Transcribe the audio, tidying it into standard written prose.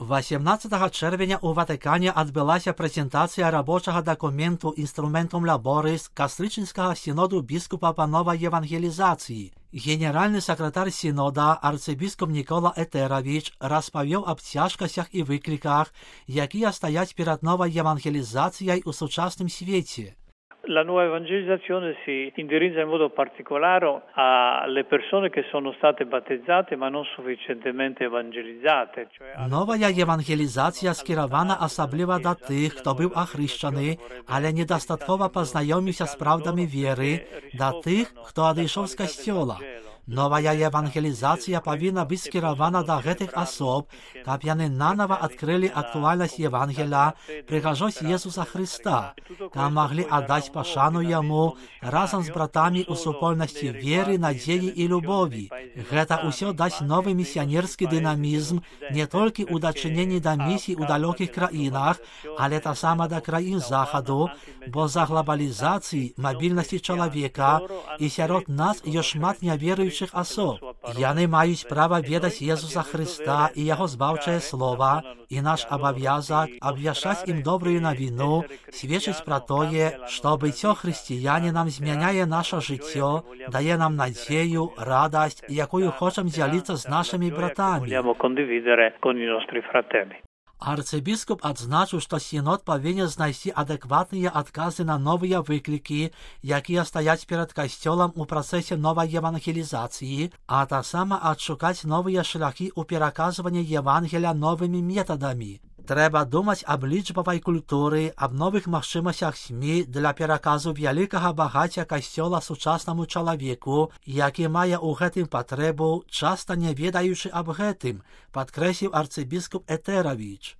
18 червня у Ватикані адбылася прэзентацыя рабочага дакументу «Инструментум Лаборис» Кастрычніцкага сіноду біскупа па новай евангелізацыі. Генеральны сакратар сінода арцыбіскуп Нікола Етеравіч распавёў аб цяжкасцях і выкліках, якія стаяць перад новай евангелізацыяй у сучасным свеце. La nuova evangelizzazione si indirizza in modo particolare alle persone che sono state battezzate ma non sufficientemente evangelizzate. Новая евангелізацыя скіравана асабліва да тых, хто быў ахрышчаны, але недастаткова пазнаёміўся з праўдамі веры, да тых, хто адышоў з касцёла. Новая евангелізацыя павінна быць скіравана да гэтых асоб, каб яны нанава адкрылі актуальнасць Евангеля, прыгажосць Езуса Хрыста, каб маглі аддаць пашану Яму разам з братамі ў супольнасці веры, надзеі і любові. Гэта ўсё дасць новы місіянерскі дынамізм не толькі ў дачыненні да місій у далёкіх краінах, але таксама да краін Захаду, бо за глобалізацыі, мабільнасці чалавека і сярод нас ёсць шмат няверуючых асоб. Яны маюць права ведаць Езуса Хрыста і яго збаўчае слова, і наш абавязак абвяшчаць ім добрую навіну, сведчыць пра тое, што быццё хрысціянінам змяняе наша жыццё, дае нам надзею, радасць, якую хочам дзяліцца з нашымі братамі. Арцыбіскуп адзначыў, што сінод павінен знайсці адэкватныя адказы на новыя выклікі, якія стаяць перад касцёлам у працэсе новай евангелізацыі, а таксама адшукаць новыя шляхі ў пераказванні Евангеля новымі метадамі. Трэба думаць аб лічбавай культуры, аб новых магчымасцях СМІ для пераказу вялікага багацця касцёла сучаснаму чалавеку, які мае ў гэтым патрэбу, часта не ведаючы аб гэтым, падкрэсліў арцыбіскуп Етеравіч.